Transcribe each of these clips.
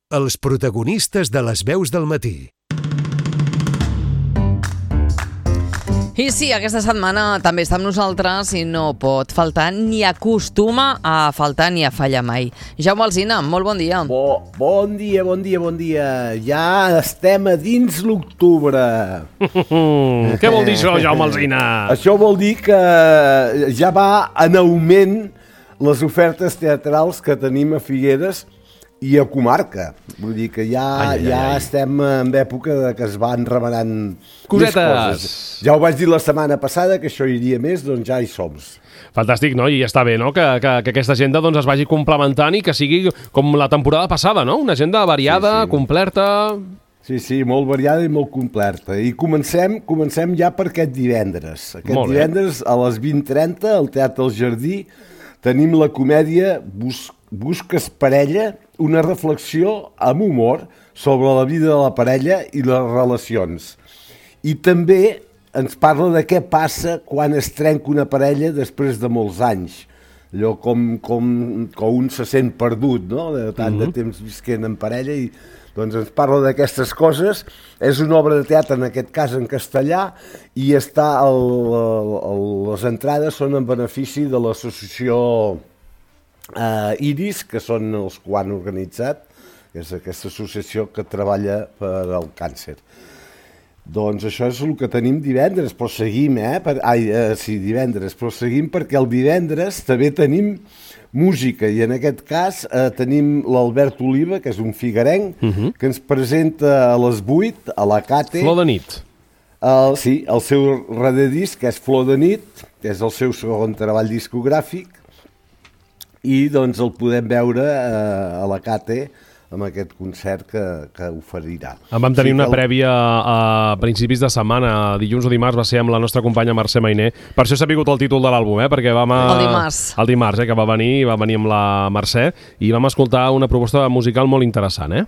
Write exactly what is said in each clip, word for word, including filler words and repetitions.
els protagonistes de les veus del matí. I sí, aquesta setmana també està amb nosaltres i no pot faltar ni acostuma a faltar ni a fallar mai. Jaume Alsina, molt bon dia. Bo, bon dia, bon dia, bon dia. Ja estem a dins l'octubre. Què vol dir això, Jaume Alsina? Això vol dir que ja va en augment les ofertes teatrals que tenim a Figueres i a comarca. Vull dir que ja, ai, ai, ja ai. estem en època de que es van remenant cosetes. Coses. Ja ho vaig dir la setmana passada, que això iria més, doncs ja hi som. Fantàstic, no? I està bé, no?, que, que, que aquesta agenda doncs, es vagi complementant i que sigui com la temporada passada, no? Una agenda variada, sí, sí. completa... Sí, sí, molt variada i molt completa. I comencem, comencem ja per aquest divendres. Aquest divendres a les vint trenta al Teatre El Jardí tenim la comèdia Bus Busques parella, una reflexió amb humor sobre la vida de la parella i les relacions. I també ens parla de què passa quan es trenca una parella després de molts anys. Allò com, com, com un se sent perdut, no?, de tant de temps visquent en parella, i doncs ens parla d'aquestes coses. És una obra de teatre, en aquest cas en castellà, i està el, el, el, les entrades són en benefici de l'associació Uh, Iris, que són els que ho han organitzat, que és aquesta associació que treballa per al càncer. Doncs això és el que tenim divendres, però seguim, eh? Per, ai, uh, sí, divendres, però seguim perquè el divendres també tenim música, i en aquest cas uh, tenim l'Albert Oliva, que és un figuerenc, uh -huh. que ens presenta a les vuit a la Cate. Flor de nit. Uh, sí, el seu rededisc, que és Flor de nit, que és el seu segon treball discogràfic, i doncs el podem veure eh, a la Cate amb aquest concert que, que oferirà. En vam tenir sí, una el... prèvia a principis de setmana, dilluns o dimarts, va ser amb la nostra companya Mercè Mainer. Per això s'ha vingut el títol de l'àlbum, eh? Perquè vam a... El dimarts. El dimarts, eh? Que va venir, va venir amb la Mercè, i vam escoltar una proposta musical molt interessant, eh?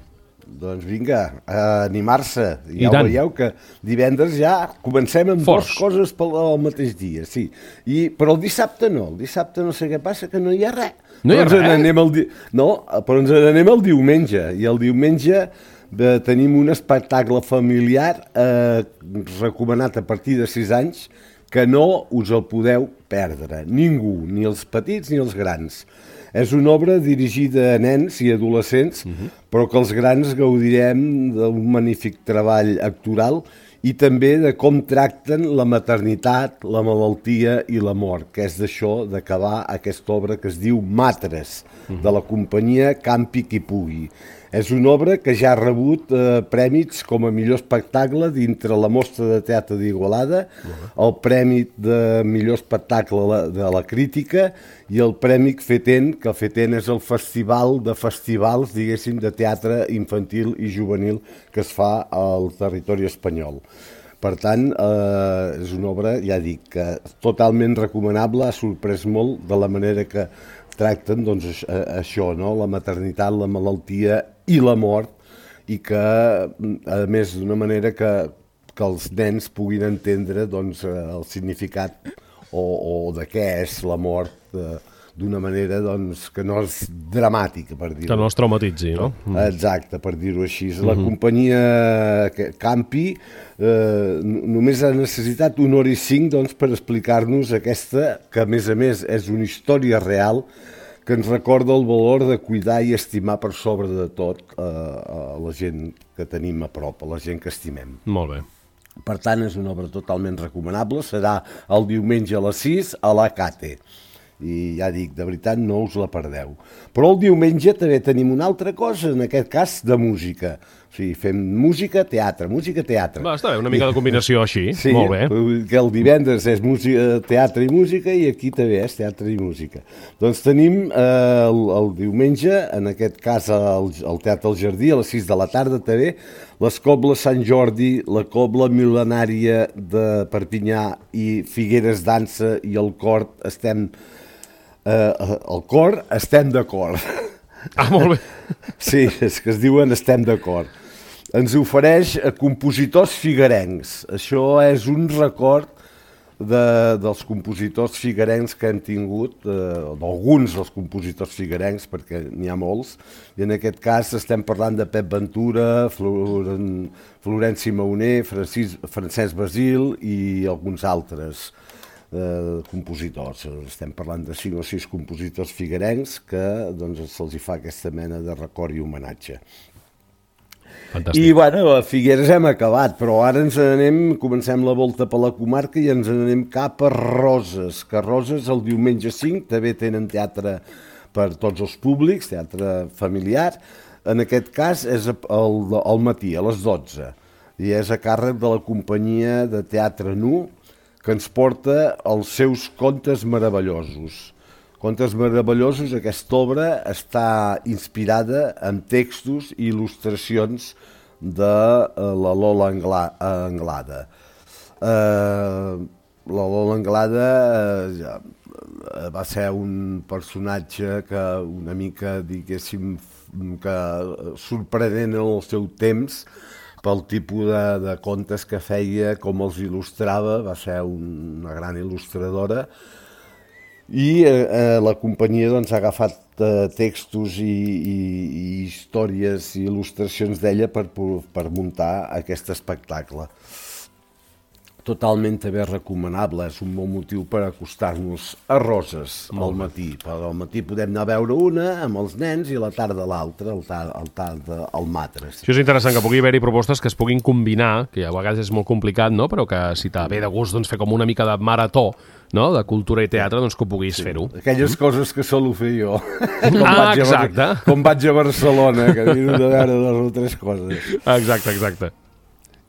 Doncs vinga, a animar-se. Ja ho veieu que divendres ja comencem amb dues coses pel mateix dia, sí. I, però el dissabte no, el dissabte no sé què passa, que no hi ha res. No hi ha res? Anem el di... No, però ens n'anem el diumenge, i el diumenge de, tenim un espectacle familiar eh, recomanat a partir de sis anys, que no us el podeu perdre, ningú, ni els petits ni els grans. És una obra dirigida a nens i adolescents, uh-huh. però que els grans gaudirem d'un magnífic treball actoral i també de com tracten la maternitat, la malaltia i la mort, que és d'això d'acabar aquesta obra que es diu Matres, uh-huh. de la companyia Campi qui pugui. És una obra que ja ha rebut eh, prèmits com a millor espectacle dintre la Mostra de Teatre d'Igualada, uh-huh. el prèmit de millor espectacle de la crítica i el prèmit FETEN, que el FETEN és el festival de festivals, diguéssim, de teatre infantil i juvenil que es fa al territori espanyol. Per tant, eh, és una obra, ja dic, que totalment recomanable, ha sorprès molt de la manera que tracten doncs, això, no? La maternitat, la malaltia i la mort, i que, a més, d'una manera que, que els nens puguin entendre doncs, el significat o, o de què és la mort eh, d'una manera doncs, que no és dramàtica, per dir-ho. Que no es traumatitzi, no? Exacte, per dir-ho així. La uh-huh. companyia Campi eh, només ha necessitat una hora i cinc doncs, per explicar-nos aquesta, que a més a més és una història real, que ens recorda el valor de cuidar i estimar per sobre de tot eh, a la gent que tenim a prop, a la gent que estimem. Molt bé. Per tant, és una obra totalment recomanable. Serà el diumenge a les sis a la Cate. I ja dic, de veritat, no us la perdeu. Però el diumenge també tenim una altra cosa, en aquest cas de música. O sigui, fem música, teatre, música, teatre. Va, està bé, una mica de combinació així, sí, molt bé. Que el divendres és música, teatre i música, i aquí també és teatre i música. Doncs tenim eh, el, el diumenge, en aquest cas al, al Teatre El Jardí, a les sis de la tarda també, les cobles Sant Jordi, la cobla mil·lenària de Perpinyà i Figueres Dansa i el cor estem... Eh, el cor estem d'acord. Ah, molt bé. Sí, és que es diuen estem d'acord. Ens ofereix a compositors figuerencs. Això és un record de, dels compositors figuerencs que han tingut, eh, d'alguns dels compositors figuerencs, perquè n'hi ha molts, i en aquest cas estem parlant de Pep Ventura, Floren, Florenci Maoner, Francis, Francesc Basil i alguns altres eh, compositors. Estem parlant de cinc o sis compositors figuerencs que doncs, se'ls hi fa aquesta mena de record i homenatge. Fantàstic. I, bueno, a Figueres hem acabat, però ara ens anem, comencem la volta per la comarca i ens anem cap a Roses, que Roses el diumenge cinc també tenen teatre per tots els públics, teatre familiar. En aquest cas és al, al matí, a les dotze, i és a càrrec de la companyia de teatre Nu, que ens porta els seus contes meravellosos. Contes meravellosos, aquesta obra està inspirada en textos i il·lustracions de la Lola Anglada. Uh, la Lola Anglada uh, va ser un personatge que una mica, diguéssim, que sorprenent en el seu temps pel tipus de, de contes que feia, com els il·lustrava, va ser una gran il·lustradora. I eh, la companyia doncs, ha agafat eh, textos i, i, i històries i il·lustracions d'ella per, per muntar aquest espectacle. Totalment també recomanable, és un bon motiu per acostar-nos a Roses al matí. Al matí podem anar a veure una amb els nens i a la tarda l'altra, al tard, al tard al Matres. Això és interessant, que pugui haver-hi propostes que es puguin combinar, que a vegades és molt complicat, no? Però que si t'ha ve de gust doncs, fer com una mica de marató, no? De cultura i teatre, doncs que ho puguis sí. fer-ho. Aquelles mm. coses que solo fer jo. com ah, vaig exacte. A, com vaig a Barcelona, que miro de veure dues o tres coses. Exacte, exacte.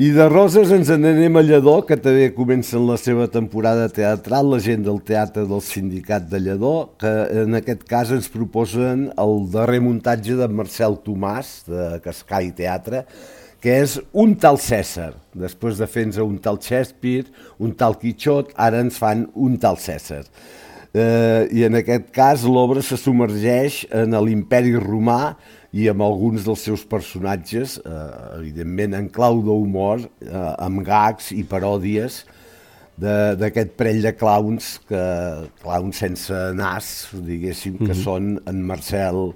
I de Roses ens en anem a Lledó, que també comencen la seva temporada teatral, la gent del teatre del Sindicat de Lledó, que en aquest cas ens proposen el darrer muntatge de Marcel Tomàs, de Cascai Teatre, que és un tal Cèsar. Després de fer-nos un tal Shakespeare, un tal Quixot, ara ens fan un tal Cèsar. Eh, I en aquest cas l'obra se submergeix en l'Imperi Romà i amb alguns dels seus personatges, eh, evidentment en clau d'humor, eh, amb gags i paròdies d'aquest parell de clowns, que, clowns sense nas, diguéssim, que mm-hmm. són en Marcel,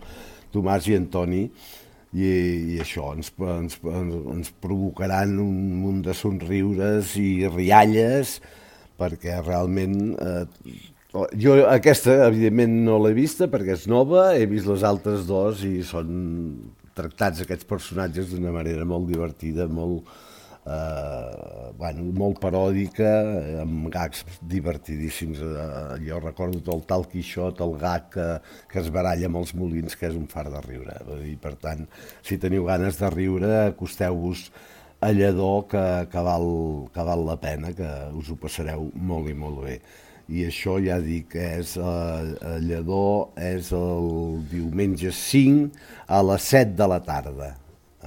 Tomàs i Antoni, i, i això ens, ens, ens provocaran un munt de somriures i rialles, perquè realment... Eh, jo aquesta, evidentment, no l'he vista perquè és nova, he vist les altres dos i són tractats aquests personatges d'una manera molt divertida, molt, eh, bueno, molt paròdica, amb gags divertidíssims. Eh, jo recordo el tal Quixot, el gag que, que es baralla amb els molins, que és un far de riure. I, per tant, si teniu ganes de riure, acosteu-vos a Lledó, que, que, val, que val la pena, que us ho passareu molt i molt bé. I això ja dic, és a Lledó, és el diumenge cinc a les set de la tarda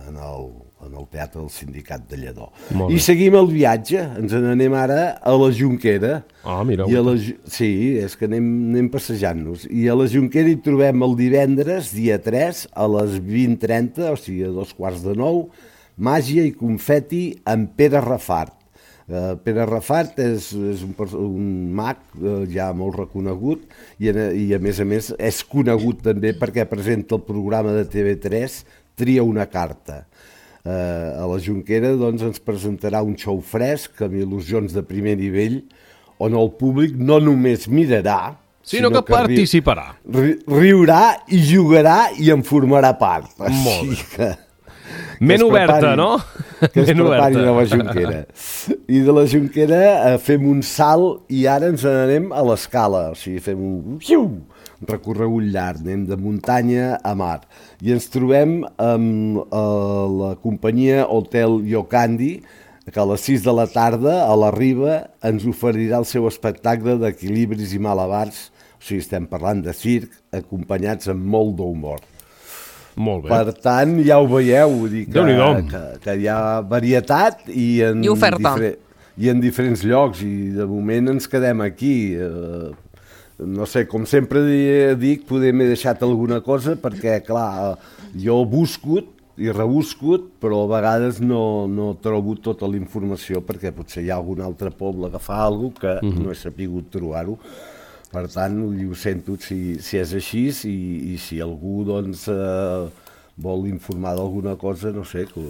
en el, en el Teatre del Sindicat de Lledó. I seguim el viatge, ens n'anem ara a la Jonquera. Ah, mira. I a la, sí, és que anem, anem passejant-nos. I a la Jonquera hi trobem el divendres, dia tres, a les vint trenta, o sigui, a dos quarts de nou, Màgia i confeti amb Pere Rafart. Uh, Pere Rafart és, és un, un mag uh, ja molt reconegut i, i a més a més és conegut també perquè presenta el programa de T V tres Tria una carta. Uh, a la Jonquera doncs, ens presentarà un show fresc amb il·lusions de primer nivell on el públic no només mirarà, sinó, sinó que, que participarà. Ri, riurà i jugarà i en formarà part. Molt Així que... Men oberta, no? Que es preparin a la Jonquera. I de la Jonquera eh, fem un salt i ara ens n'anem a l'Escala. O sigui, fem un, un recorregut llarg, anem de muntanya a mar. I ens trobem amb eh, la companyia Hotel Yocandi, que a les sis de la tarda, a la Riba, ens oferirà el seu espectacle d'equilibris i malabars. O sigui, estem parlant de circ, acompanyats amb molt d'humor. Molt bé. Per tant, ja ho veieu, vull dir que, que, que hi ha varietat i en, I oferta. I en diferents llocs, i de moment ens quedem aquí. Eh, no sé, com sempre dic, poder m'he deixat alguna cosa, perquè, clar, jo busco i rebuscut, però a vegades no, no trobo tota la informació perquè potser hi ha algun altre poble que fa alguna cosa que uh-huh. no he sapigut trobar-ho. Per tant, ho sento si, si és així i, i si algú doncs, eh, vol informar d'alguna cosa, no sé, que,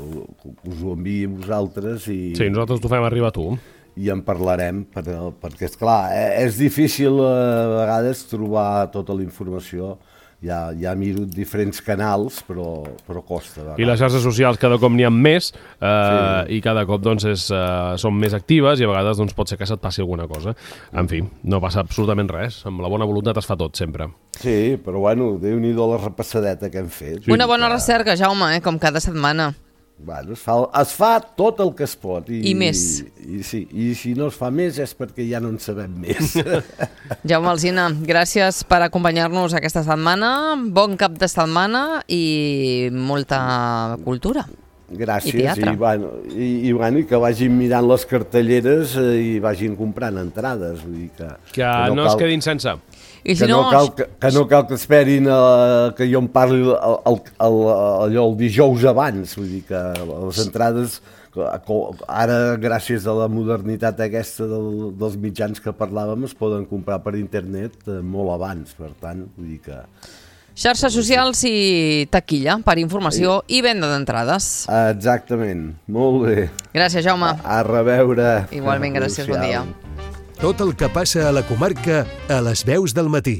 que us ho enviï a vosaltres. I, sí, nosaltres t'ho fem arribar a tu. I en parlarem, per, perquè, esclar, és difícil a vegades trobar tota la informació. Ja, ja miro diferents canals, però, però costa. I les xarxes socials cada cop n'hi ha més eh, sí. i cada cop doncs, és, eh, són més actives i a vegades doncs, pot ser que se't passi alguna cosa. En fi, no passa absolutament res. Amb la bona voluntat es fa tot, sempre. Sí, però bueno, Déu-n'hi-do la repassadeta que hem fet. Una bona que... recerca, Jaume, eh, com cada setmana. Bueno, es, fa, es fa tot el que es pot. I, I més. I, i, sí, I si no es fa més és perquè ja no en sabem més. Jaume Alsina, gràcies per acompanyar-nos aquesta setmana. Bon cap de setmana i molta cultura. Gràcies. I teatre. I, bueno, i, i, bueno, i que vagin mirant les cartelleres i vagin comprant entrades. Vull dir que, que, que no, no cal... es quedin sense. I si que, no, no cal, que, que no cal que esperin a, que jo em parli el, el, el, allò el dijous abans, vull dir que les entrades ara gràcies a la modernitat aquesta del, dels mitjans que parlàvem es poden comprar per internet molt abans, per tant, vull dir que... Xarxes socials i taquilla per informació sí. i venda d'entrades. Exactament, molt bé. Gràcies, Jaume. A, a reveure. Igualment, gràcies, bon dia. Tot el que passa a la comarca a les veus del matí.